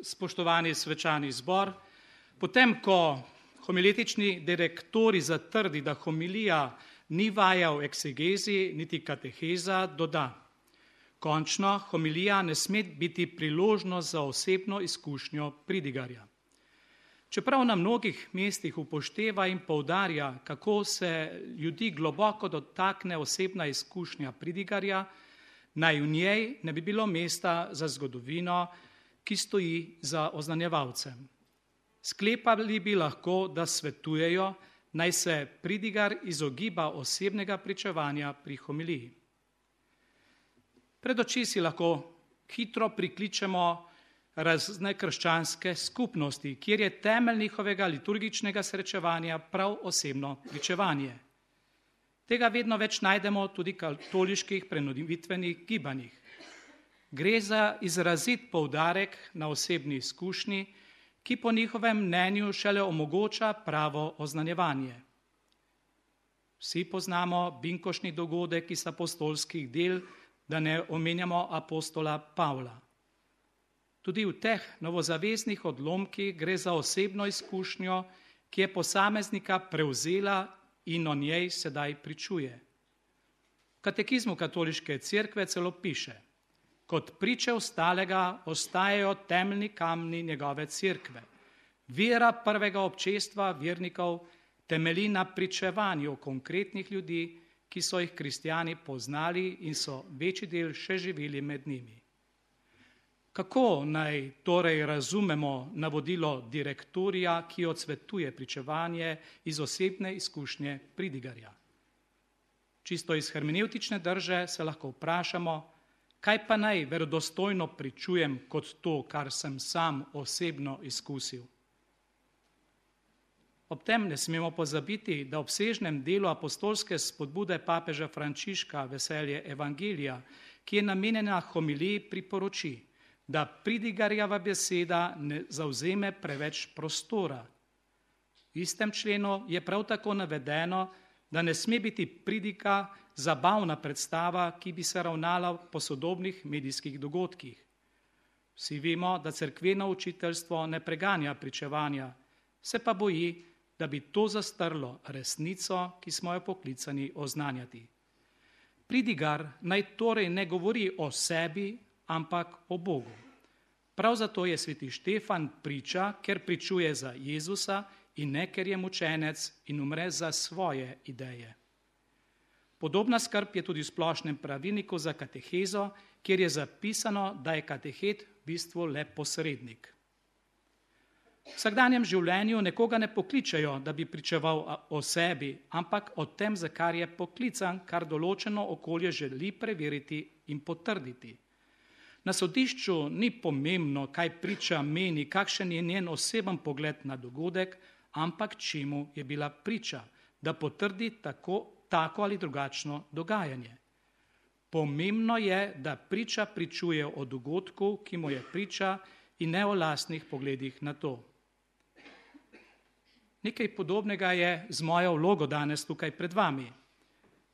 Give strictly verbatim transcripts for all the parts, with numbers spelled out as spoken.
Spoštovani svečani zbor, potem, ko homiletični direktori zatrdi, da homilija ni vaja v eksegezi, niti kateheza, doda: končno, homilija ne sme biti priložnost za osebno izkušnjo pridigarja. Čeprav na mnogih mestih upošteva in poudarja, kako se ljudi globoko dotakne osebna izkušnja pridigarja, naj v njej ne bi bilo mesta za zgodovino, ki stoji za oznanjevalcem. Sklepali bi lahko, da svetujejo, naj se pridigar izogiba osebnega pričevanja pri homiliji. Pred oči si lahko hitro prikličemo razne krščanske skupnosti, kjer je temelj njihovega liturgičnega srečevanja prav osebno pričevanje. Tega vedno več najdemo tudi v katoliških prenovitvenih gibanjih. Gre za izrazit poudarek na osebni izkušnji, ki po njihovem mnenju šele omogoča pravo oznanjevanje. Vsi poznamo binkošni dogodek iz apostolskih del, da ne omenjamo apostola Pavla. Tudi v teh novozaveznih odlomkih gre za osebno izkušnjo, ki je posameznika prevzela in o njej sedaj pričuje. V katekizmu katoliške cerkve celo piše: kot priče ostalega ostajajo temeljni kamni njegove cerkve. Vera prvega občestva vernikov temelji na pričevanju konkretnih ljudi, ki so jih kristjani poznali in so večji del še živeli med njimi. Kako naj torej razumemo navodilo direktorija, ki odsvetuje pričevanje iz osebne izkušnje pridigarja? Čisto iz hermenevtične drže se lahko vprašamo, kaj pa naj verodostojno pričujem kot to, kar sem sam osebno izkusil? Ob tem ne smemo pozabiti, da v obsežnem delu apostolske spodbude papeža Frančiška Veselje evangelija, ki je namenjena homiliji, priporoči, da pridigarjeva beseda ne zavzeme preveč prostora. V istem členu je prav tako navedeno, da ne sme biti pridiga zabavna predstava, ki bi se ravnala po sodobnih medijskih dogodkih. Vsi vemo, da cerkveno učiteljstvo ne preganja pričevanja, se pa boji, da bi to zastrlo resnico, ki smo jo poklicani oznanjati. Pridigar naj torej ne govori o sebi, ampak o Bogu. Prav zato je sveti Štefan priča, ker pričuje za Jezusa in ne, ker je mučenec in umre za svoje ideje. Podobna skrb je tudi v splošnem pravilniku za katehezo, kjer je zapisano, da je katehet v bistvu le posrednik. V vsakdanjem življenju nekoga ne pokličejo, da bi pričeval o sebi, ampak o tem, za kar je poklican, kar določeno okolje želi preveriti in potrditi. Na sodišču ni pomembno, kaj priča meni, kakšen je njen oseben pogled na dogodek, ampak čemu je bila priča, da potrdi tako, tako ali drugačno dogajanje. Pomembno je, da priča pričuje o dogodku, ki mu je priča, in ne o lastnih pogledih na to. Nekaj podobnega je z mojo vlogo danes tukaj pred vami.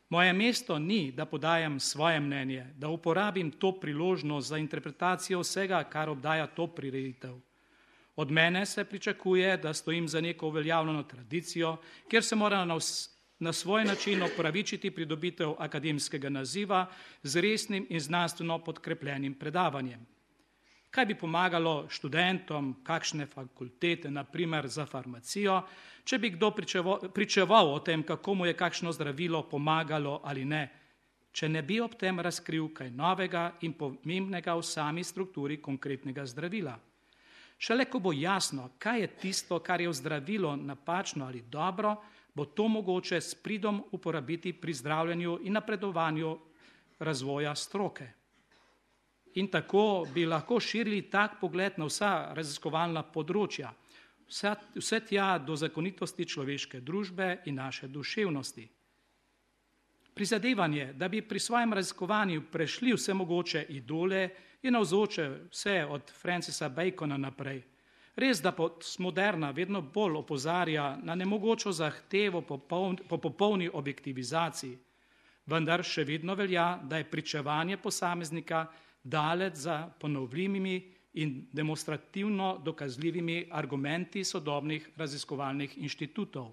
Moje mesto ni, da podajam svoje mnenje, da uporabim to priložnost za interpretacijo vsega, kar obdaja to prireditev. Od mene se pričakuje, da stojim za neko uveljavljeno tradicijo, kjer se mora na, na svoj način opravičiti pridobitev akademskega naziva z resnim in znanstveno podkrepljenim predavanjem. Kaj bi pomagalo študentom kakšne fakultete, na primer za farmacijo, če bi kdo pričeval, pričeval o tem, kako mu je kakšno zdravilo pomagalo ali ne, če ne bi ob tem razkril kaj novega in pomembnega v sami strukturi konkretnega zdravila. Šele ko bo jasno, kaj je tisto, kar je v zdravilu napačno ali dobro, bo to mogoče s pridom uporabiti pri zdravljenju in napredovanju razvoja stroke. In tako bi lahko širili tak pogled na vsa raziskovalna področja, vse, vse tja do zakonitosti človeške družbe in naše duševnosti. Prizadevanje, da bi pri svojem raziskovanju prešli vse mogoče idole, je navzoče vse od Francisa Bacona naprej. Res, da postmoderna vedno bolj opozarja na nemogočo zahtevo po, poln, po popolni objektivizaciji, vendar še vedno velja, da je pričevanje posameznika daleč za ponovljivimi in demonstrativno dokazljivimi argumenti sodobnih raziskovalnih inštitutov.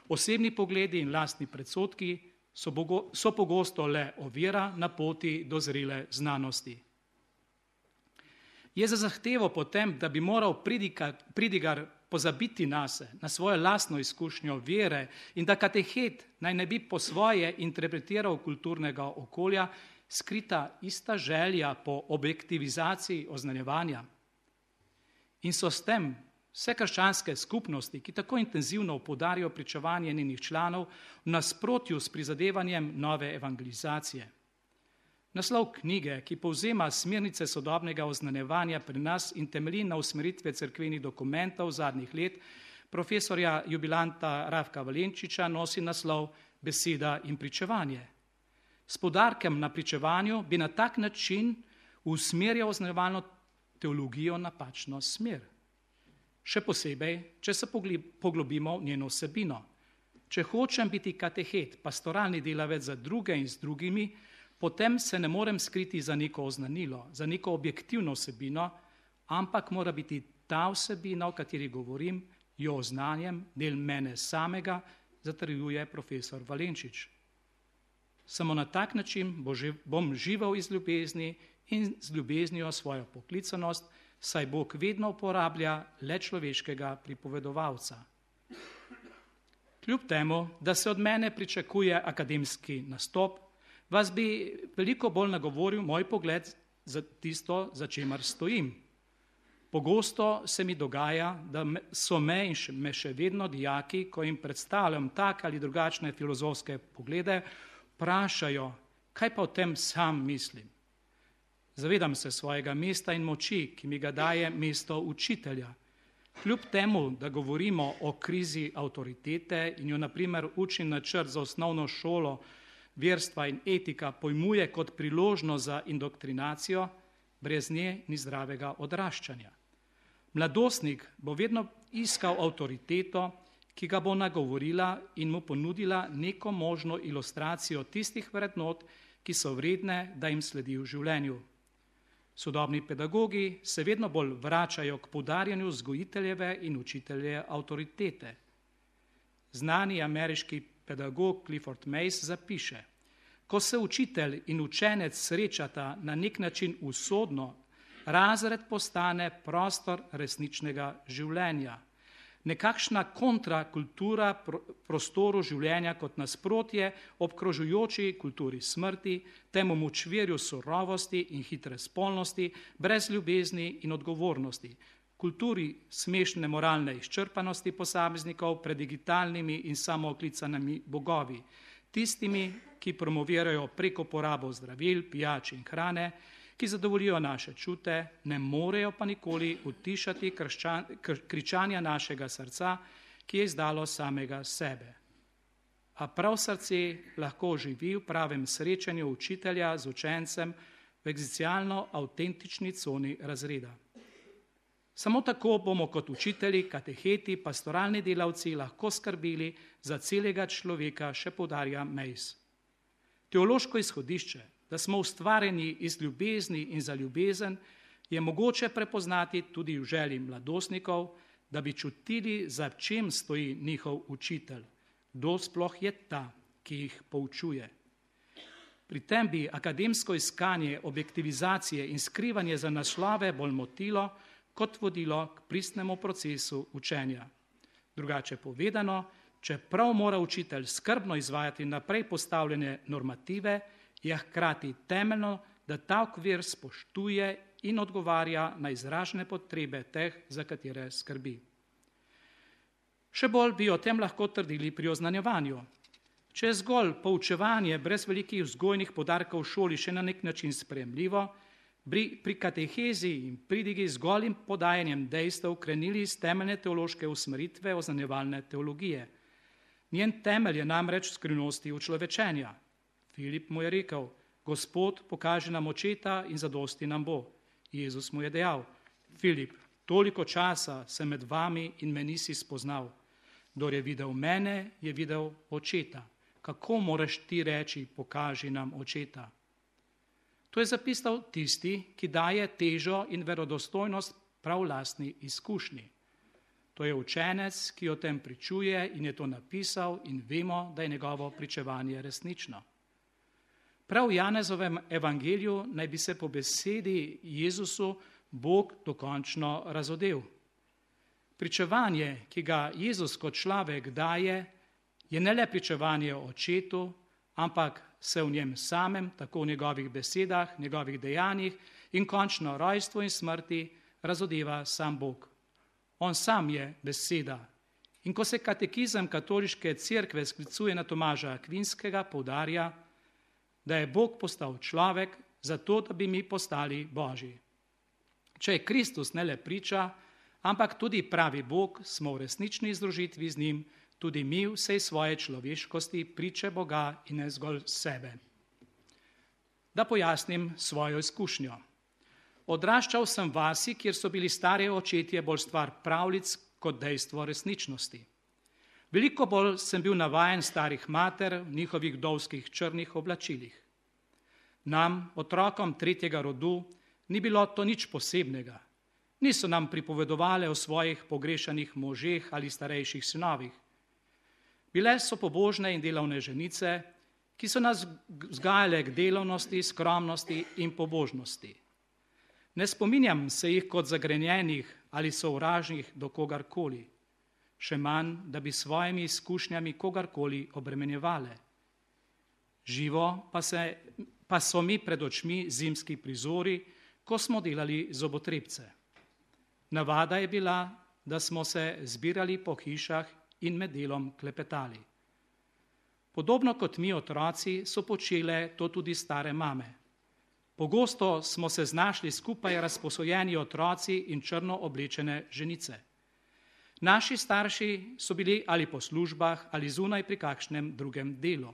Osebni pogledi in lastni predsodki so, bogo, so pogosto le ovira na poti do zrele znanosti. Je za zahtevo potem, da bi moral pridigar, pridigar pozabiti nase, na svojo lastno izkušnjo vere in da katehet naj ne bi po svoje interpretiral kulturnega okolja, skrita ista želja po objektivizaciji oznanjevanja. In so s tem vse krščanske skupnosti, ki tako intenzivno poudarjajo pričevanje njenih članov, v nasprotju s prizadevanjem nove evangelizacije. Naslov knjige, ki povzema smernice sodobnega oznanjevanja pri nas in temelji na usmeritve cerkvenih dokumentov zadnjih let, profesorja jubilanta Rafka Valenčiča nosi naslov Beseda in pričevanje. S poudarkem na pričevanju bi na tak način usmerjal oznanjevalno teologijo napačno smer. Še posebej, če se poglobimo v njeno vsebino. Če hočem biti katehet, pastoralni delavec za druge in z drugimi, potem se ne morem skriti za neko oznanilo, za neko objektivno vsebino, ampak mora biti ta vsebina, o kateri govorim, jo oznanjem, del mene samega, zatrjuje profesor Valenčič. Samo na tak način bom živel iz ljubezni in z ljubeznijo svojo poklicanost, saj Bog vedno uporablja le človeškega pripovedovalca. Kljub temu, da se od mene pričakuje akademski nastop, vas bi veliko bolj nagovoril moj pogled za tisto, za čemer stojim. Pogosto se mi dogaja, da so me in me še vedno dijaki, ko jim predstavljam tak ali drugačne filozofske poglede, vprašajo, kaj pa o tem sam mislim. Zavedam se svojega mesta in moči, ki mi ga daje mesto učitelja. Kljub temu, da govorimo o krizi avtoritete in jo na primer učni načrt za osnovno šolo verstva in etika pojmuje kot priložnost za indoktrinacijo, brez nje ni zdravega odraščanja. Mladostnik bo vedno iskal avtoriteto, ki ga bo nagovorila in mu ponudila neko možno ilustracijo tistih vrednot, ki so vredne, da jim sledi v življenju. Sodobni pedagogi se vedno bolj vračajo k poudarjanju vzgojiteljeve in učitelje avtoritete. Znani ameriški pedagog Clifford Mace zapiše: ko se učitelj in učenec srečata na nek način usodno, razred postane prostor resničnega življenja. Nekakšna kontrakultura prostoru življenja kot nasprotje obkrožujoči kulturi smrti, temu močvirju surovosti in hitre spolnosti, brez ljubezni in odgovornosti, kulturi smešne moralne izčrpanosti posameznikov pred digitalnimi in samooklicanimi bogovi, tistimi, ki promovirajo preko porabo zdravil, pijač in hrane, ki zadovoljijo naše čute, ne morejo pa nikoli utišati krščan, kr, kričanja našega srca, ki je izdalo samega sebe. A prav srce lahko živi v pravem srečanju učitelja z učencem v egzistencialno avtentični coni razreda. Samo tako bomo kot učitelji, kateheti, pastoralni delavci lahko skrbeli za celega človeka, še poudarja Mace. Teološko izhodišče, da smo ustvarjeni iz ljubezni in za ljubezen, je mogoče prepoznati tudi v želji mladostnikov, da bi čutili, za čem stoji njihov učitelj, kdo sploh je ta, ki jih poučuje. Pri tem bi akademsko iskanje objektivizacije in skrivanje za naslove bolj motilo, kot vodilo k pristnemu procesu učenja. Drugače povedano, čeprav mora učitelj skrbno izvajati naprej postavljene normative, je hkrati temeljno, da ta okvir spoštuje in odgovarja na izražene potrebe teh, za katere skrbi. Še bolj bi o tem lahko trdili pri oznanjevanju. Če je zgolj poučevanje brez velikih vzgojnih poudarkov v šoli še na nek način sprejemljivo, bi pri katehezi in pridigi zgolj in podajanjem dejstev krenili iz temeljne teološke usmeritve oznanjevalne teologije. Njen temelj je namreč v skrivnosti učlovečenja. Filip mu je rekel: Gospod, pokaži nam očeta in zadosti nam bo. Jezus mu je dejal: Filip, toliko časa sem med vami in me nisi spoznal. Kdor je videl mene, je videl očeta. Kako moraš ti reči, pokaži nam očeta? To je zapisal tisti, ki daje težo in verodostojnost prav lastni izkušnji. To je učenec, ki o tem pričuje in je to napisal in vemo, da je njegovo pričevanje resnično. Prav v Janezovem evangeliju naj bi se po besedi Jezusu Bog dokončno razodel. Pričevanje, ki ga Jezus kot človek daje, je ne le pričevanje o očetu, ampak se v njem samem, tako v njegovih besedah, njegovih dejanjih in končno rojstvu in smrti razodeva sam Bog. On sam je beseda. In ko se katekizem katoliške cerkve sklicuje na Tomaža Akvinskega, poudarja, da je Bog postal človek zato, da bi mi postali Božji. Če je Kristus ne le priča, ampak tudi pravi Bog, smo v resnični združitvi z njim, tudi mi vsej svoje človeškosti priče Boga in ne zgolj sebe. Da pojasnim svojo izkušnjo. Odraščal sem vasi, kjer so bili stari očetje bolj stvar pravljic kot dejstvo resničnosti. Veliko bolj sem bil navajen starih mater v njihovih vdovskih črnih oblačilih. Nam, otrokom tretjega rodu, ni bilo to nič posebnega. Niso nam pripovedovale o svojih pogrešanih možeh ali starejših sinovih. Bile so pobožne in delavne ženice, ki so nas vzgajale k delovnosti, skromnosti in pobožnosti. Ne spominjam se jih kot zagrenjenih ali sovražnih do kogarkoli, še manj, da bi svojimi izkušnjami kogarkoli obremenjevale. Živo pa, se, pa so mi pred očmi zimski prizori, ko smo delali zobotrebce. Navada je bila, da smo se zbirali po hišah in med delom klepetali. Podobno kot mi otroci so počele to tudi stare mame. Pogosto smo se znašli skupaj razposojeni otroci in črno oblečene ženice. Naši starši so bili ali po službah ali zunaj pri kakšnem drugem delu.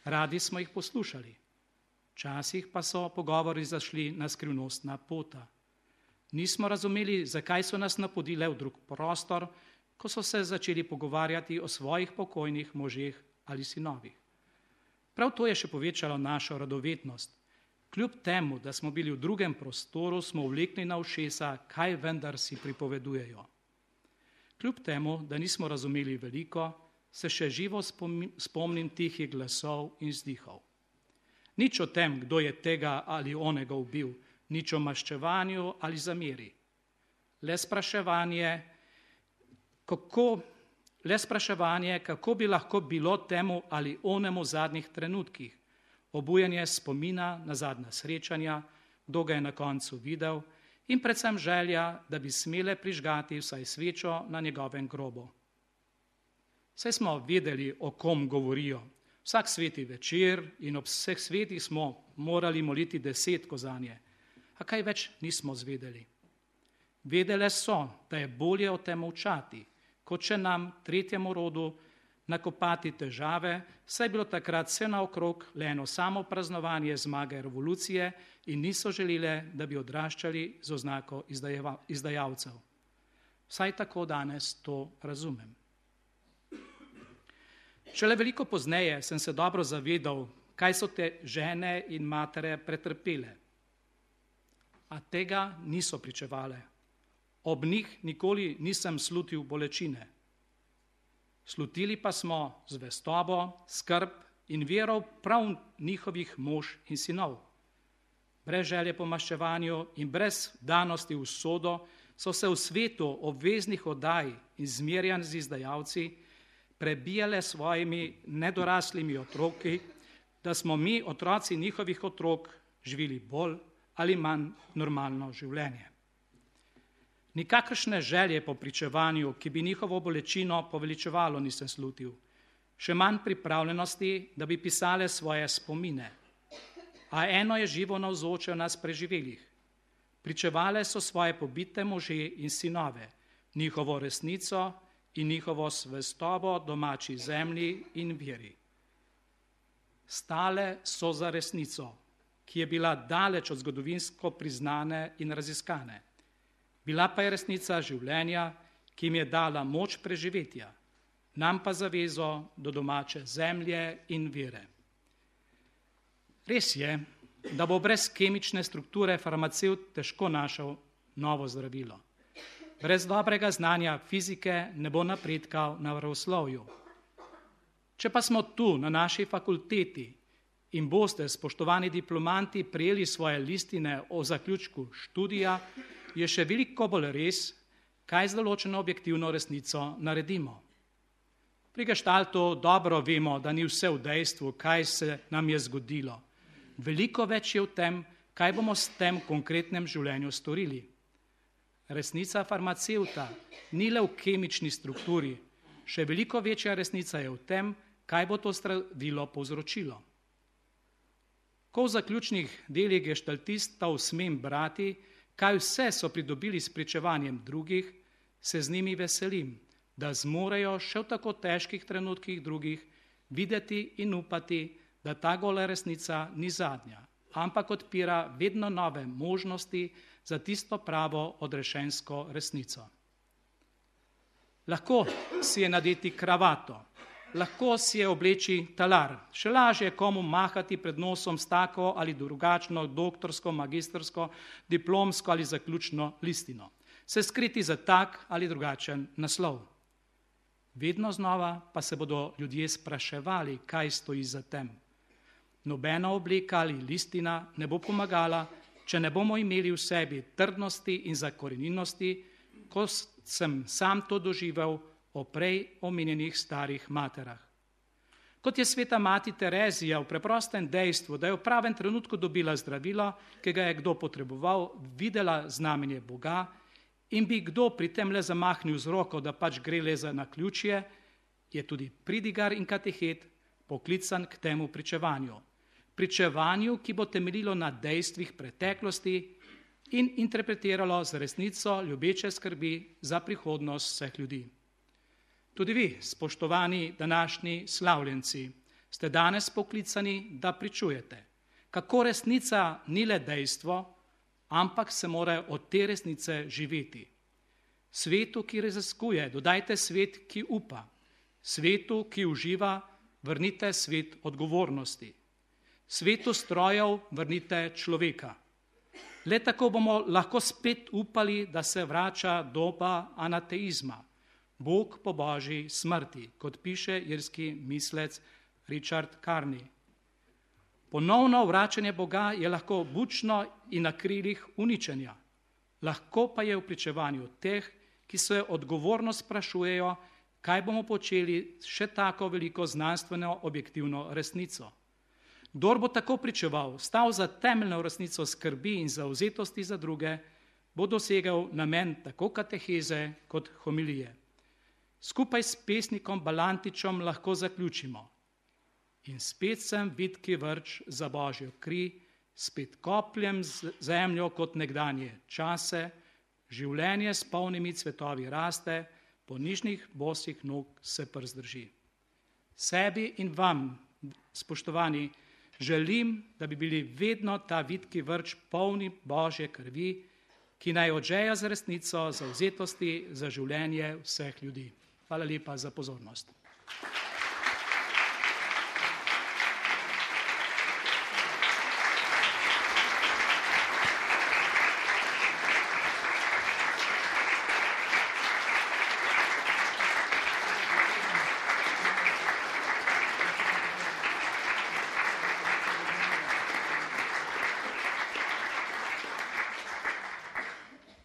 Radi smo jih poslušali. Včasih pa so pogovori zašli na skrivnostna pota. Nismo razumeli, zakaj so nas napodile v drug prostor, ko so se začeli pogovarjati o svojih pokojnih možeh ali sinovih. Prav to je še povečalo našo radovednost. Kljub temu, da smo bili v drugem prostoru, smo vlekli na ušesa, kaj vendar si pripovedujejo. Kljub temu, da nismo razumeli veliko, se še živo spomnim tihih glasov in vzdihov. Nič o tem, kdo je tega ali onega ubil, nič o maščevanju ali zameri. Le spraševanje, kako, le spraševanje, kako bi lahko bilo temu ali onemu v zadnjih trenutkih, obujanje spomina na zadnja srečanja, kdo ga je na koncu videl in predvsem želja, da bi smele prižgati vsaj svečo na njegovem grobu. Saj smo vedeli, o kom govorijo. Vsak sveti večer in ob vseh svetih smo morali moliti desetko zanje, a kaj več nismo zvedeli. Vedele so, da je bolje o tem molčati, kot če nam, tretjemu rodu, nakopati težave, saj je bilo takrat vse naokrog le eno samo praznovanje zmage revolucije in niso želele, da bi odraščali z oznako izdajalcev. Vsaj tako danes to razumem. Šele veliko pozneje sem se dobro zavedal, kaj so te žene in matere pretrpele. A tega niso pričevale. Ob njih nikoli nisem slutil bolečine. Slutili pa smo zvestobo, skrb in vero prav njihovih mož in sinov. Brez želje po maščevanju in brez danosti v usodo so se v svetu obveznih oddaj in zmerjanj z izdajalci prebijale svojimi nedoraslimi otroki, da smo mi, otroci njihovih otrok, živeli bolj ali manj normalno življenje. Nikakršne želje po pričevanju, ki bi njihovo bolečino poveličevalo, nisem slutil. Še manj pripravljenosti, da bi pisale svoje spomine. A eno je živo navzoče v nas preživelih. Pričevale so svoje pobite može in sinove, njihovo resnico in njihovo zvestobo domači zemlji in veri. Stale so za resnico, ki je bila daleč od zgodovinsko priznane in raziskane. Bila pa je resnica življenja, ki jim je dala moč preživetja, nam pa zavezo do domače zemlje in vere. Res je, da bo brez kemične strukture farmacevt težko našel novo zdravilo. Brez dobrega znanja fizike ne bo napredka v naravoslovju. Če pa smo tu na naši fakulteti in boste, spoštovani diplomanti, prijeli svoje listine o zaključku študija, je še veliko bolj res, kaj z določeno objektivno resnico naredimo. Pri geštaltu dobro vemo, da ni vse v dejstvu, kaj se nam je zgodilo. Veliko več je v tem, kaj bomo s tem konkretnem življenju storili. Resnica farmacevta ni le v kemični strukturi, še veliko večja resnica je v tem, kaj bo to zdravilo povzročilo. Ko v zaključnih delih geštaltistov smem brati, kaj vse so pridobili s pričevanjem drugih, se z njimi veselim, da zmorejo še v tako težkih trenutkih drugih videti in upati, da ta gola resnica ni zadnja, ampak odpira vedno nove možnosti za tisto pravo odrešensko resnico. Lahko si je nadeti kravato, lahko si je obleči talar, še lažje je komu mahati pred nosom s tako ali drugačno doktorsko, magistrsko, diplomsko ali zaključno listino, se skriti za tak ali drugačen naslov. Vedno znova pa se bodo ljudje spraševali, kaj stoji za tem. Nobena obleka ali listina ne bo pomagala, če ne bomo imeli v sebi trdnosti in zakorenjenosti, ko sem sam to doživel o prej omenjenih starih materah. Kot je sveta mati Terezija v preprostem dejstvu, da je v pravem trenutku dobila zdravilo, ki ga je kdo potreboval, videla znamenje Boga in bi kdo pri tem le zamahnil z roko, da pač gre le za naključje, je tudi pridigar in katehet poklican k temu pričevanju. Pričevanju, ki bo temeljilo na dejstvih preteklosti in interpretiralo z resnico ljubeče skrbi za prihodnost vseh ljudi. Tudi vi, spoštovani današnji slavljenci, ste danes poklicani, da pričujete, kako resnica ni le dejstvo, ampak se mora od te resnice živeti. Svetu, ki raziskuje, dodajte svet, ki upa. Svetu, ki uživa, vrnite svet odgovornosti. Svetu strojev vrnite človeka. Le tako bomo lahko spet upali, da se vrača doba anateizma, Bog po božji smrti, kot piše irski mislec Richard Carney. Ponovno vračanje Boga je lahko bučno in na krilih uničenja. Lahko pa je v pričevanju teh, ki se odgovorno sprašujejo, kaj bomo počeli s še tako veliko znanstveno objektivno resnico. Kdor bo tako pričeval, stal za temeljno resnico skrbi in zavzetosti za druge, bo dosegel namen tako kateheze kot homilije. Skupaj s pesnikom Balantičem lahko zaključimo. In spet sem vitki vrč za božjo kri, spet kopljem zemljo kot nekdanje čase, življenje s polnimi cvetovi raste, po nižnih bosih nog se przdrži. Sebi in vam, spoštovani, želim, da bi bili vedno ta vitki vrč polni božje krvi, ki naj odžeja z resnico, zavzetosti za življenje vseh ljudi. Hvala lepa za pozornost.